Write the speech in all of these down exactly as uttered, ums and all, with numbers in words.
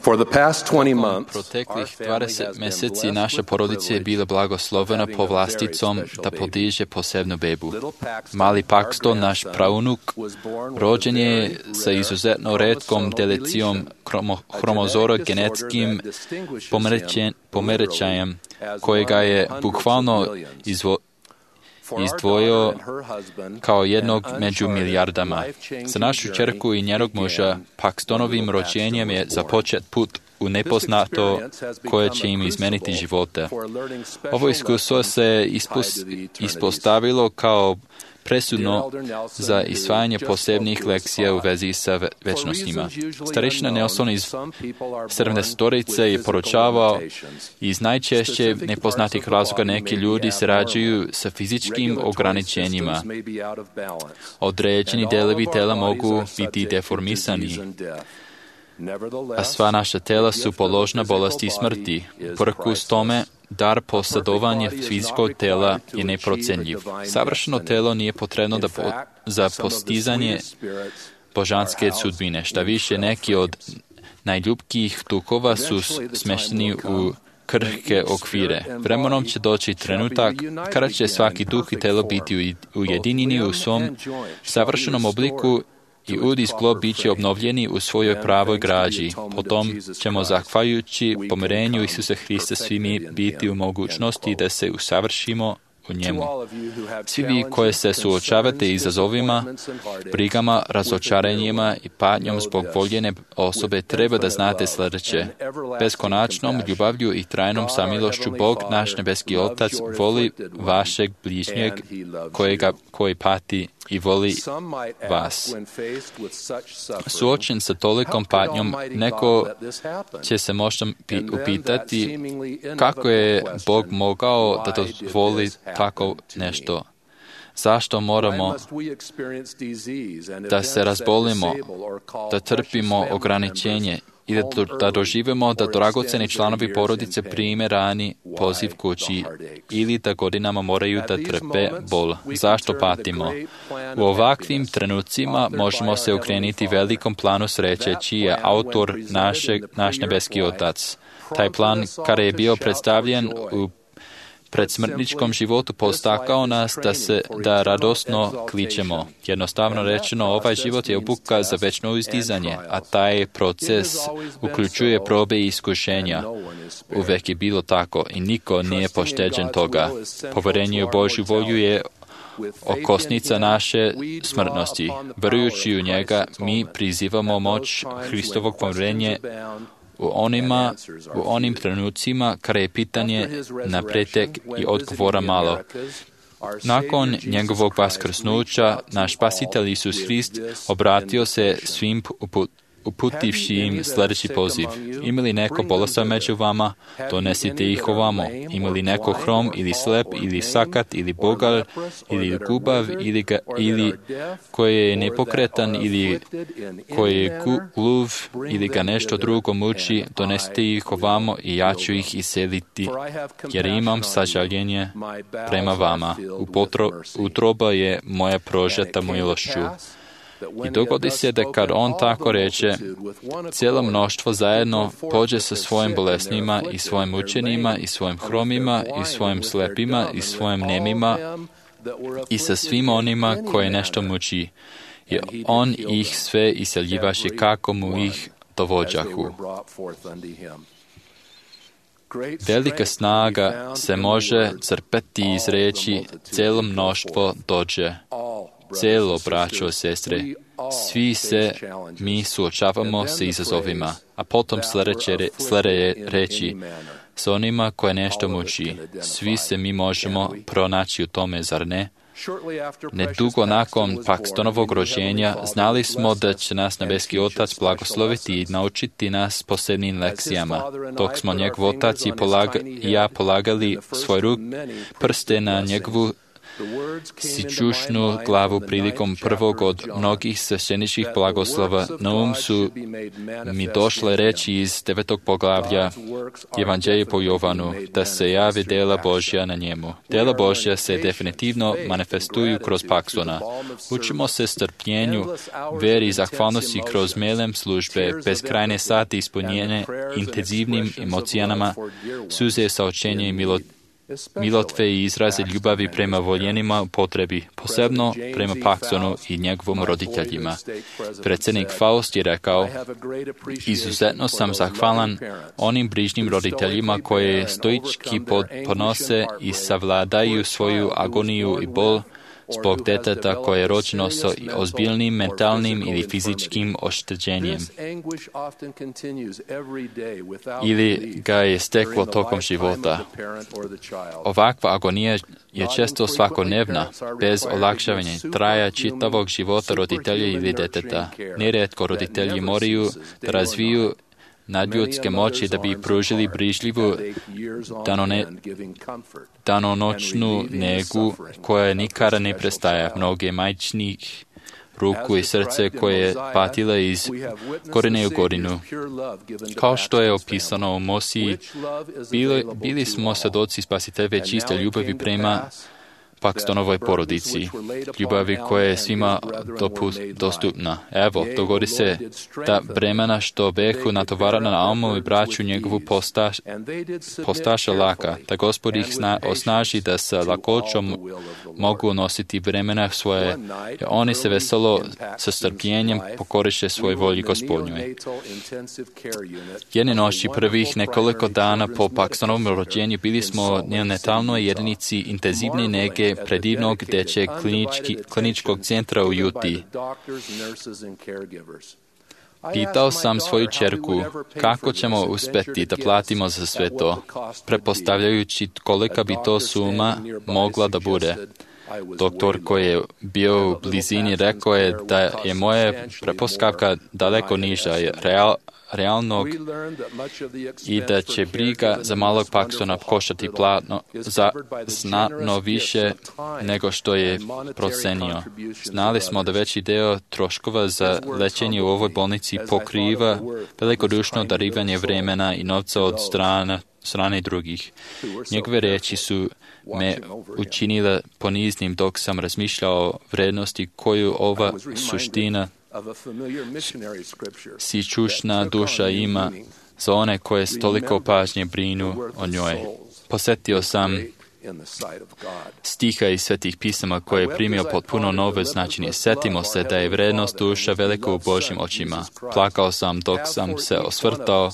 For the past twenty Tokom months, our proteklih family dvadeset has been mjeseci blessed naša with the porodica je bila privilege blagoslovena of having po a very vlasticom special da baby. podiže posebnu bebu. Little Paxton, Mali our Paxton, naš grandson, praunuk, was born with a rođen je very sa rare izuzetno retkom chromosomal delecijom deletion, kromo, a hromozora genetic disorder genetskim that distinguishes pomerećen, him pomerećajem literally as kojega one je of hundreds bukvalno of millions. izvo, For our izdvojio daughter and her husband, kao jednog an među uncharted, milijardama. life-changing Za našu journey čerku i njenog muža, began Paxtonovim when little rođenjem Paxton je was born. započet put u nepoznato koje će im izmeniti živote. Ovo iskustvo se ispos, ispostavilo kao presudno za isvajanje posebnih lekcija u vezi sa ve- večnostima. Starešina Nelson iz sedamdesetorice je poručavao iz najčešće nepoznatih razloga neki ljudi se rađaju sa fizičkim ograničenjima. Određeni delovi tela mogu biti deformisani, a sva naša tela su podložna bolesti i smrti. Uprkos tome, dar posjedovanja fizičkog tela je neprocenljiv. Savršeno telo nije potrebno da po, za postizanje božanske sudbine. Šta više, neki od najljubkijih tukova su smešteni u krhke okvire. Vremenom će doći trenutak kada će svaki duh i telo biti ujedinjeni u svom savršenom obliku i ud i sklo bit će obnovljeni u svojoj pravoj građi. Potom ćemo, zahvaljujući pomirenju Isusa Hrista, svi mi biti u mogućnosti da se usavršimo u njemu. Svi vi koji se suočavate izazovima, brigama, razočaranjima i patnjom zbog voljene osobe, treba da znate sljedeće. Beskonačnom ljubavlju i trajnom samilošću Bog, naš nebeski Otac, voli vašeg bližnjeg kojega, koji pati i voli vas. Suočen sa tolikom patnjom, neko će se možda upitati kako je Bog mogao da dozvoli tako nešto. Zašto moramo da se razbolimo, da trpimo ograničenje i da, da doživimo da dragoceni članovi porodice prime rani poziv kući ili da godinama moraju da trpe bol. Zašto patimo? U ovakvim trenucima možemo se okrenuti velikom planu sreće čiji je autor našeg, naš nebeski Otac. Taj plan, kada je bio predstavljen u predsmrtničkom životu, postakao nas da se da radosno kličemo. Jednostavno rečeno, ovaj život je obuka za večno izdizanje, a taj proces uključuje probe i iskušenja. Uvek je bilo tako i niko nije pošteđen toga. Poverenje u Božju volju je okosnica naše smrtnosti. Verujući u njega, mi prizivamo moć Hristovog pomirenja u onima, u onim trenucima kada je pitanje na pretek i odgovora malo. Nakon njegovog vaskrsnuća, naš Spasitelj Isus Hrist obratio se svim uput, uputivši im sljedeći poziv. Ima li neko bolestan među vama, donesite ih ovamo. Ima li neko hrom ili slep ili sakat ili bogal ili gubav ili, ga, ili koji je nepokretan ili koji je gluv ili ga nešto drugo muči, donesite ih ovamo i ja ću ih iseliti, jer imam sažaljenje prema vama. Upotro, utroba je moja prožeta milošću. I dogodi se da kad on tako reče, cijelo mnoštvo zajedno pođe sa svojim bolesnima i svojim učenima i svojim hromima i svojim slepima i svojim nemima i sa svim onima koje nešto muči. I on ih sve iseljivaše kako mu ih dovođahu. Velika snaga se može crpeti iz reči cijelo mnoštvo dođe. Cijelo, braćo, sestre, svi se mi suočavamo sa izazovima, a potom sljedeće re, reći s onima koje nešto muči. Svi se mi možemo pronaći u tome, zar ne? Nedugo nakon Paxtonovog rođenja znali smo da će nas nebeski Otac blagosloviti i naučiti nas posebnim lekcijama. Dok smo njegov Otac i, polaga, i ja polagali svoj ruk, prste na njegovu sićušnu glavu prilikom prvog od mnogih svešteničkih blagoslova, na um su mi došle reči iz devetog poglavlja Evanđelja po Jovanu, da se javi dela Božja na njemu. Dela Božja se definitivno manifestuju kroz Paksona. Učimo se strpljenju, veri i zahvalnosti kroz melem službe, bezkrajne sati ispunjene intenzivnim emocijama, suze saočenja i milot milotve i izraze ljubavi prema voljenima u potrebi, posebno prema Paksonu i njegovom roditeljima. Predsjednik Faust je rekao, izuzetno sam zahvalan onim brižnim roditeljima koje stoički podnose i savladaju svoju agoniju i bol zbog deteta koje je rođeno sa ozbiljnim mentalnim ili fizičkim oštećenjem ili ga je steklo tokom života. Ovakva agonija je često svakodnevna, bez olakšavanja, traja čitavog života roditelja ili deteta. Nerijetko roditelji moraju da razviju nadljudske moći da bi pružili brižljivu danone, danonoćnu negu koja nikada ne prestaje. Mnoge majčinih ruku i srce koje je patila iz godine u godinu. Kao što je opisano u Mosiji, bili, bili smo svedoci spasiteljeve čiste ljubavi prema Pakstonovoj porodici, ljubavi koja je svima dostupna. Evo, dogodi se da bremena što behu natovarana na Almu i braću njegovu postaš, postaša laka, da Gospod ih sna, osnaži da sa lakoćom mogu nositi bremena svoje, i oni se veselo sa strpljenjem pokoriše svoj volji Gospodnjoj. Jedne noći prvih nekoliko dana po Pakstonovom rođenju bili smo na netalnoj jedinici intenzivne nege predivnog dečeg kliničkog centra u Juti. Pitao sam svoju ćerku kako ćemo uspjeti da platimo za sve to, pretpostavljajući kolika bi to suma mogla da bude. Doktor koji je bio u blizini rekao je da je moja pretpostavka daleko niža, real, realnog i da će briga za malog Paksona koštati platno za znatno više nego što je procenio. Znali smo da veći deo troškova za lečenje u ovoj bolnici pokriva velikodušno darivanje vremena i novca od strana, strane drugih. Njegove reči su me učinile poniznim dok sam razmišljao o vrednosti koju ova suština sićušna duša ima za one koje s toliko pažnje brinu o njoj. Posjetio sam stiha iz svetih pisama koje je primio potpuno nove značenje. Sjetimo se da je vrednost duša velika u Božjim očima. Plakao sam dok sam se osvrtao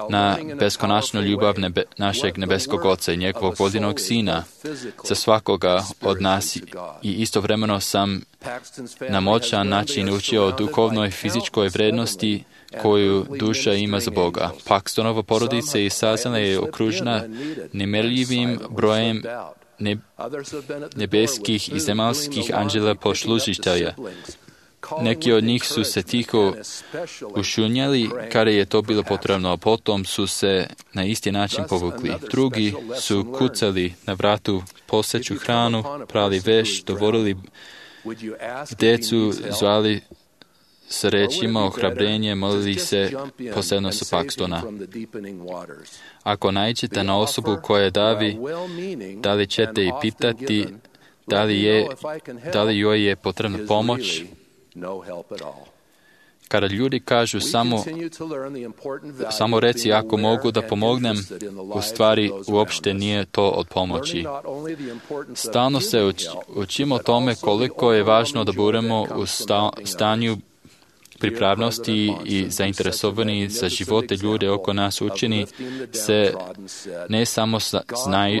na beskonačnu ljubav nebe, našeg nebeskog Oca i njegovog vodinog Sina za svakoga od nas i istovremeno sam na moćan način učio o duhovnoj fizičkoj vrednosti koju duša ima za Boga. Pakstonova porodica i Sazana je okružena nemerljivim brojem ne, nebeskih i zemaljskih anđela poslužitelja. Neki od njih su se tiho ušunjali kada je to bilo potrebno, a potom su se na isti način povukli. Drugi su kucali na vratu, poseću hranu, prali veš, dovodili decu, zvali s rečima ohrabrenje, molili se posebno sa Pakstona. Ako naiđete na osobu koja davi, da li ćete i pitati da li, je, da li joj je potrebna pomoć? Kada ljudi kažu samo, samo reci ako mogu da pomognem, u stvari uopšte nije to od pomoći. Stalno se uč, učimo tome koliko je važno da budemo u sta, stanju pripravnosti i zainteresovani za živote ljude oko nas učini se ne samo znaj,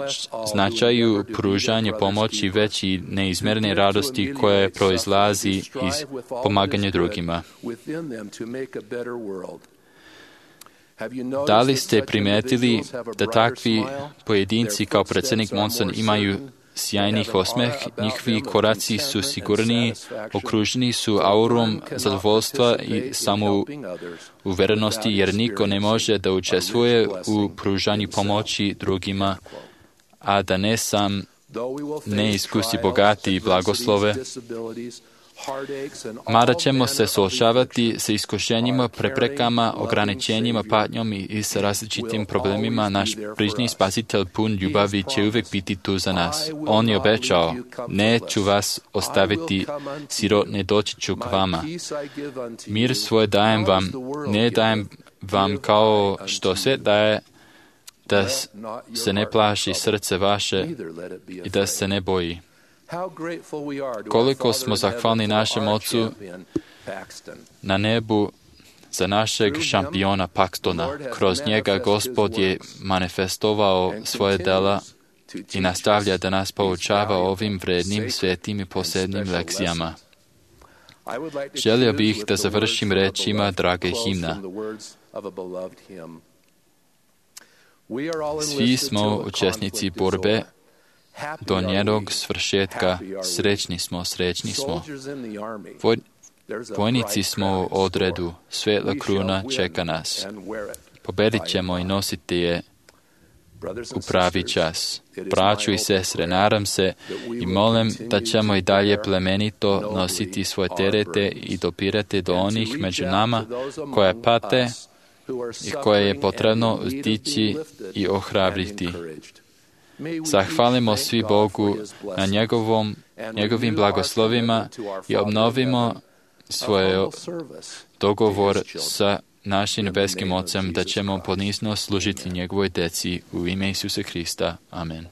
značaju pružanje pomoći, već i neizmjerne radosti koje proizlazi iz pomaganja drugima. Da li ste primetili da takvi pojedinci kao predsjednik Monson imaju sjajnih osmeh, njihovi koraci su sigurniji, okruženi su aurom zadovoljstva i samouverenosti, jer niko ne može da učestvuje u pružanju pomoći drugima, a da ne sam ne iskusi bogati i blagoslove, mada ćemo se suočavati sa iskušenjima, preprekama, ograničenjima, patnjom i sa različitim problemima, naš brižni Spasitelj pun ljubavi će uvijek biti tu za nas. On je obećao, neću vas ostaviti sirotne, doći ću k vama. Mir svoj dajem vam, ne dajem vam kao što se daje, da se ne plaši srce vaše i da se ne boji. Koliko smo zahvalni našem Ocu na nebu za našeg šampiona Paxtona. Kroz njega Gospod je manifestovao svoje dela i nastavlja da nas poučava ovim vrednim, svetim i posebnim lekcijama. Želio bih da završim rečima drage himna. Svi smo učesnici borbe do njenog svršetka. Srećni smo, srećni smo. Voj, vojnici smo u odredu, svetla kruna čeka nas. Pobedit ćemo i nositi je u pravi čas. Braćo i sestre, nadam se i molim da ćemo i dalje plemenito nositi svoje terete i dopirati do onih među nama koje pate i koje je potrebno uzdići i ohrabriti. Zahvalimo svi Bogu na njegovom, njegovim blagoslovima i obnovimo svoj dogovor sa našim nebeskim Ocem da ćemo ponizno služiti njegovoj deci u ime Isusa Hrista. Amen.